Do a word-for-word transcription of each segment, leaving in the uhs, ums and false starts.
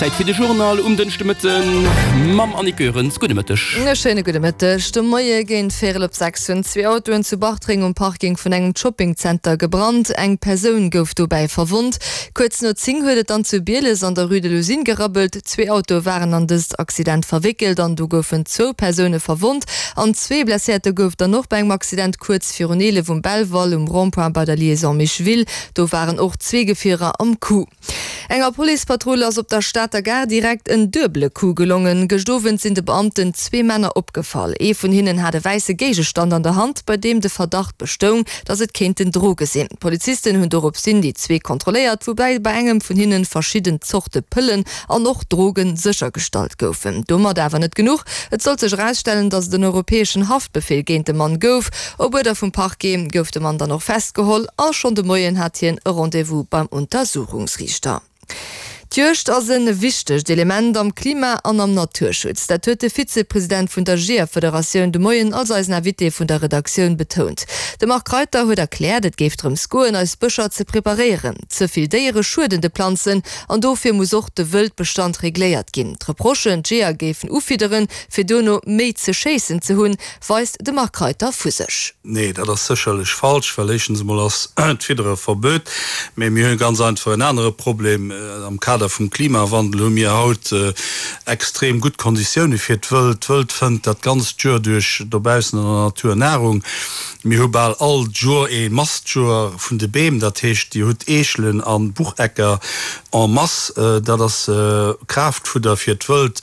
Zäit fir de Journal um Dënschdemëtten mam Annick Goerens. Gudde Mëtteg. E schéine gudde Mëtteg. De Moie géint véierel op sechs hunn zwee Autoen zu Bartreng um Parking vun engem Shoppingzenter gebrannt. Eng Persoun gouf dobäi verwonnt. Kuerz no zéng huet et dann zu Bieles an der Rue de l'Usine gerabbelt. Zwee Autoe waren an dëst Accident verwéckelt an do goufen zwou Persoune verwonnt an zwee Blesséierte gouf dann och bei engem Accident kuerz virun eelef um Belval um Rond-point bei der Liaison Micheville. Do waren och zwee Gefierer am Coup. Enger Policepatrull ass op der Stater Gare direkt en duebele Coup gelongen. Gëscht Owend sinn de Beamten zwee Männer opgefall. Ee vun hinnen hat e wäisse Géigestand an der Hand, bei deem de Verdacht bestoung, datt et kéinten Droge sinn. D'Polizisten hunn doropshin déi zwee kontrolléiert, woubäi bei engem vun hinnen verschidden Zorte Pëllen an och Droge séchergestallt goufen. Domat awer net genuch, Et sollt sech erausstellen, datt et en europäeschen Haftbefeel géint de Mann gouf. Op Uerder vum Parquet gouf de Mann dann och festgeholl a schonn de Moien hat hien e Rendez-vous beim Untersuchungsriichter. D'Juegd ass e wichtegt Element am Klima an am Naturschutz. Dat huet de Vizepresident vun der Jeeërfederatioun de Moien als eisen Invité vun der Redaktioun betount. De Marc Reiter huet erkläert, et géif drëms goen, eis Bëscher ze preparéieren. Ze vill Déiere schueden de Planzen an dofir muss och de Wëldbestand regléiert ginn. D'Reprochen, d'Jeeër géifen ufidderen, fir duerno méi ze schéissen ze hunn, weist de Marc Reiter vu sech. Nee, dat ass sécherlech falsch, well éischtens emol ass d'Fiddere verbuet, mee mir hu ganz einfach en anere Problem. Am Kader vum Klimawandel hu mir haut extrem gutt Konditioune fir d'Wëld. D'Wëld fënnt dat ganzt Joer duerch dobaussen an der Natur Nahrung. Mir hu bal all Joer ee Mastjoer vun de Beem, dat heescht, Dir hutt Eechelen a Buchecker en masse. Dat ass Kraaftfudder fir d'Wëld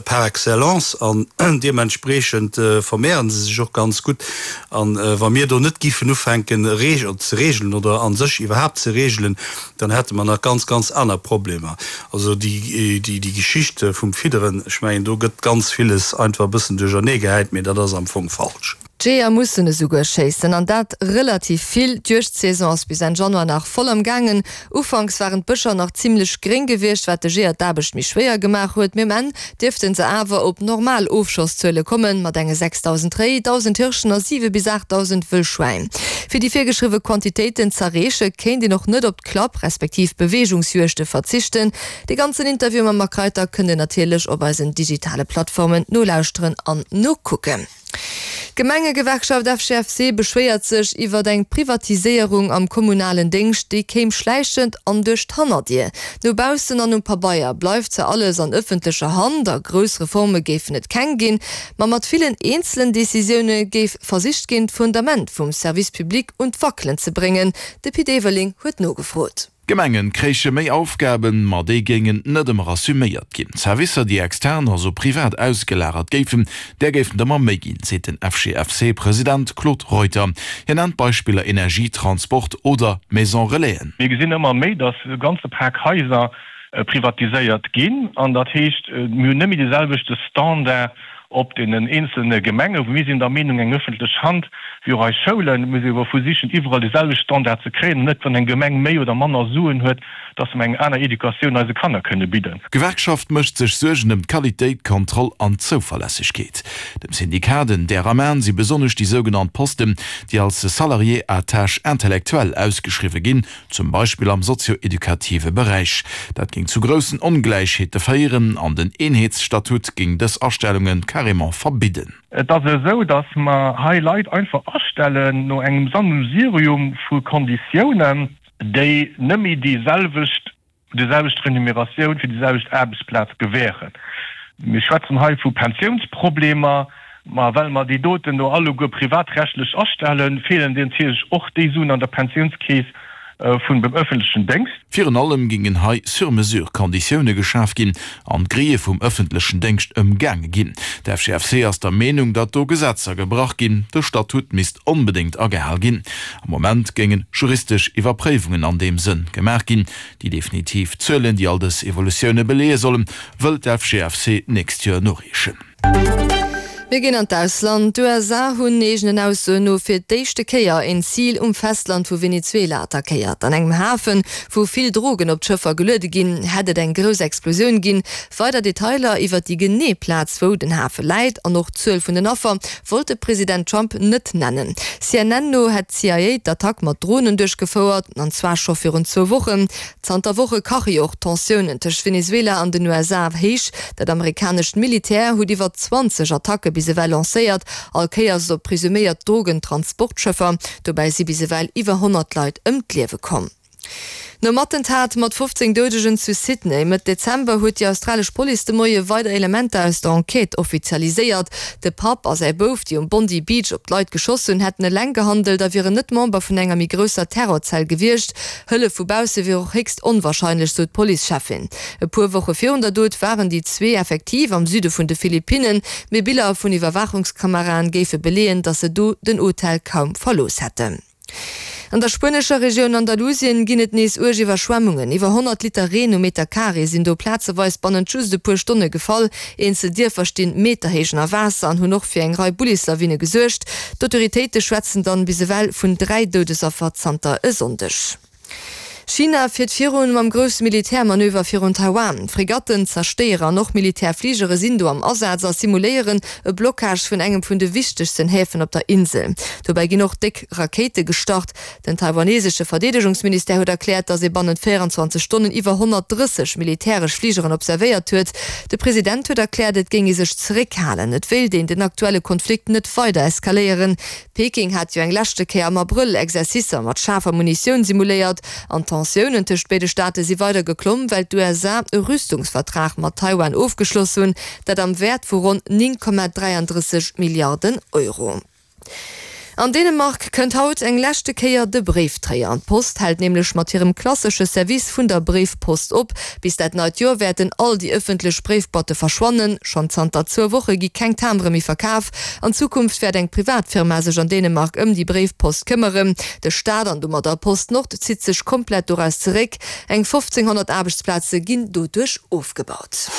par excellence an deementspreechend vermehren se sech och ganz gutt. An wa mir do net giffen ufänken ze regelen oder a sech iwwerhaapt ze regelen, dann hätte mer nach ganz, ganz aner Problemer. Also déi Geschicht vum Fidderen, ech mengen do gëtt ganz villes einfach e bëssen duercherneegehäit, mee dat ass am Fong falsch. D'Jeeër mussen esouguer schéissen, an dat relativ vill. D'Juegdsaison ass bis Enn Januar nach voll am gaangen. Ufanks waren d'Bëscher nach zimmlech gréng gewiescht, wat de Jeeër d'Aarbecht méi schwéier gemaach huet. Mee um Enn dierfte se awer op normal Ofschosszuele kommen, mat enge sechsdausend Réi, dausend Hirschen a siwe bis aachtdausend Wëllschwäin. Fir déi virgeschriwwe Quantitéiten z'erreeche kéint een och net op d'Klapp respektiv Beweegungsjuegte verzichten. Dee ganzen Interview mam Marc Reiter kënnt Dir natierlech op eisen digitale Plattformen nolauschteren an nokucken. D'Gemengegewerkschaft F G F C beschwéiert sech iwwert eng Privatiséierung am kommunalen Déngscht, déi kéim schläichend an duerch d'Hannerdier. No baussen an um Pabeier bleift zwar alles an ëffentlecher Hand a grouss Reforme géifen et keng ginn, ma mat villen eenzelen Decisioune géif versicht ginn, d'Fundament vum Service public un d'Wackelen ze bréngen. De Pit Everling huet nogefrot. D'Gemengen kréiche méi Aufgaben, ma déi géingen net ëmmer assuméiert ginn. Servicer, déi extern, also privat ausgelagert géifen, där géifen et ëmmer méi ginn, seet den F G F C-President Claude Reuter. Hien nennt Beispiller Energie, Transport oder Maison Relaisen. Mir gesinn ëmmer méi, datt e ganze Pak Haiser privatiséiert ginn an dat heescht, mir hunn net méi dee selwechte Standard op deenen eenzelne Gemengen, wou mir sinn der Meenung, eng öffentlech Hand, wéi och eis Schoulen, muss ee versichen, iwwerall dee selwechte Standard ze kréien an net, wann eng Gemeng méi oder manner Suen huet, dass mer eng aner Educatioun eise Kanner kënne bidden. D'Gewerkschaft mécht sech Suergen ëm d'Qualitéit, d'Kontroll an d'Zouverlässegkeet. Dem Syndikat en där am An si besonnesch déi sougenannt Posten, déi als Salarié à tâche intellectuelle ausgeschriwwe ginn, zum Beispill am sozio-edukative Beräich. Dat géing zu groussen Ongläichheete féieren an den Eenheetsstatut géing dës Astellunge carrément verbidden. Et ass esou, datt mer hei Leit einfach astellen no engem Sammelsurium vu Konditiounen, déi net méi déi selwecht, déi selwecht Remuneratioun fir déi selwecht Aarbechtsplaz gewähren. Mir schwätzen hei vu Pensiounsproblemer, ma well mer déi doten do alleguer privatrechtlech astellen, feelen dir natierlech och déi Suen an der Pensiounskeess vun dem öffentlechen Déngscht. Virun allem gingen hei sur mesure Konditioune geschaf ginn an d'Grille vum öffentlechen Déngscht ëmgaange ginn. De F G F C ass der Meenung, datt do Gesetzer gebrach ginn. De Statut misst onbedéngt agehal ginn. Am Moment géingen juristesch Iwwerpréiwungen an deem Sënn gemaach ginn. Déi definitiv Zuelen, déi all dës Evolutioune beleeë sollen, wëll d'F G F C d'nächst Joer noreechen. Mir ginn an d'Ausland. D'USA hunn eegenen Aussoen no fir d'éischte Kéier een Zil um Festland vu Venezuela attackéiert. An engem Hafen, wou vill Drogen op d'Schëffer geluede ginn, hätt et eng grouss Explosioun ginn. Weider Detailer iwwer déi genee Plaz, wou den Hafe läit, an och d'Zuel vun den Affer wollt de President Trump net nennen. CNN no hätt d'CIA d'Attack mat Dronen duerchgefouert, an zwar scho virun zwou Wochen. Zanter Woche kache jo och d'Tensiounen tëscht Venezuela an den USA héich. Dat amerikanescht Militär huet iwwer zwanzeg Attacke bis ewell lancéiert, all Kéiers op presuméiert Drogentransportschëffer. Dobäi si bis ewell iwwer honnert Leit ëm d'Liewe komm. Nom Attentat mat fofzéng Doudegen zu Sydney Mëtt Dezember huet déi australesch Police de Moie weider Elementer aus der Enquête offizialiséiert. De Papp a säi Bouf, déi um Bondi Beach op d'Leit geschoss hunn, hätten eleng gehandelt a wieren net Member vun enger méi grousser Terrorzell gewiescht. Hëllef vu bausse wier och héchst onwarscheinlech, sou d'Policecheffin. E puer Woche virun der Dot waren déi zwee effektiv am Süde vun de Philippinnen, mee Biller vun Iwwerwaachungskameraen géife beleeën, datt se do den Hotel kaum verlooss hätten. An der spuenescher Regioun Andalusien ginn et nees uerg Iwwerschwemmungen. Iwwer honnert Liter Reen um Meter Carré sinn do plazeweis bannent just e puer Stonne gefall. Eenzel Dierfer stinn meterhéich ënner Waasser an hunn och fir eng Rei Bullislawine gesuergt. D'Autoritéite schwätzen dann bis ewell vun dräi Doudesaffer zanter e Sonndeg. China fiert virun mam grousse Militärmanöver virun Taiwan. Fregatten, Zerstéierer an och Militärfligere sinn do am Asaz a simuléieren e Blockage vun engem vun de wichtegsten Häfen op der Insel. Dobäi ginn och déck Rakéite gestart. Den taiwanesesche Verdeedegungsministère huet erkläert, datt ee bannent véierenzwanzeg Stonnen iwwer honnertdrësseg militäresch Fligeren observéiert huet. De President huet erkläert, et géing ee sech zeréckhalen, et wéilt een den aktuelle Konflikt net weider eskaléieren. Peking hat jo eng leschte Kéier am Abrëll Exercicer mat schaarfer Munitioun simuléiert an d'Tensiounen tëscht béide Staate si weider geklomm, well d'USA e Rüstungsvertrag mat Taiwan ofgeschloss hunn, dat am Wäert vu ronn néng Komma dräiandrësseg Milliarden Euro. An Dänemark kënnt haut eng leschte Kéier de Bréifdréier. D'Post hält nämlech mat hirem klassesche Service vun der Bréifpost op. Bis dat neit Joer wäerten all déi ëffentlech Bréifboîtte verschwannen. Schonn zanter zwou Woche gi keng Timbere méi verkaf. An Zukunft wäert eng privat Firma sech an Dänemark ëm déi Bréifpost këmmeren. De Staat an domadder PostNord zitt sech komplett doraus zeréck. Eng fofzénghonnert Aarbechtsplaze ginn doduerch ofgebaut.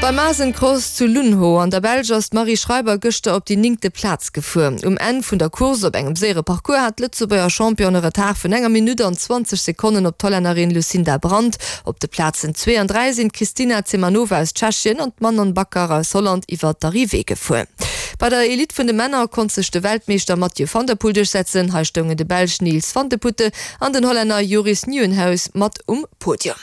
Beim Asencross zu Loenhout an der Belsch ass d'Marie Schreiber gëschter op déi néngte Plaz gefuer. Um Enn vun der Course op engem séiere Parcours hat d'Lëtzebuerger Championne e Retard vun enger Minutt an zwanzeg Sekonnen op d'Hollännerin Lucinda Brand. Op de Plazen zwee an dräi sinn d'Kristina Zemanova aus Tschechien an d'Manon Bakker aus Holland iwwer d'Arrivée gefuer. Bei der Elite vun de Männer konnt sech de Weltmeeschter Mathieu van der Poel duerchsetzen. Hei stoungen de Belsch Niels Vandeputte an den Hollänner Joris Nieuwenhuis mat um Podium.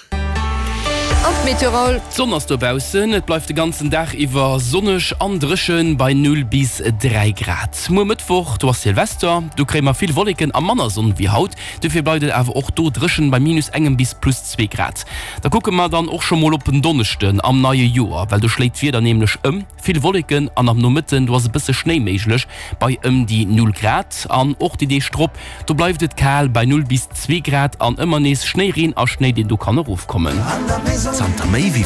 An d'Meteo Raoul. D'Sonn ass dobaussen, et bleift de ganzen Dag iwwer sonneg an dréchen bei null bis dräi Grad. Muer Mëttwoch, do ass Silvester, do kréie mer vill Wolleken a manner Sonn wéi haut, dofir bleift et awer och do dréchen bei minus engem bis plus zwee Grad. Da kucke mer dann och scho mol op en Donneschden am neie Joer, well do schléit d'Wieder nämlech ëm, vill Wolleken an am Nomëtten, do ass e bësse Schnéi méiglech bei ëm déi null Grad. An och déi Deeg drop, do bleift et kal bei null bis zwee Grad an ëmmer nees Schnéireen a Schnéi, deen do kann erofkommen. Zanter méi wéi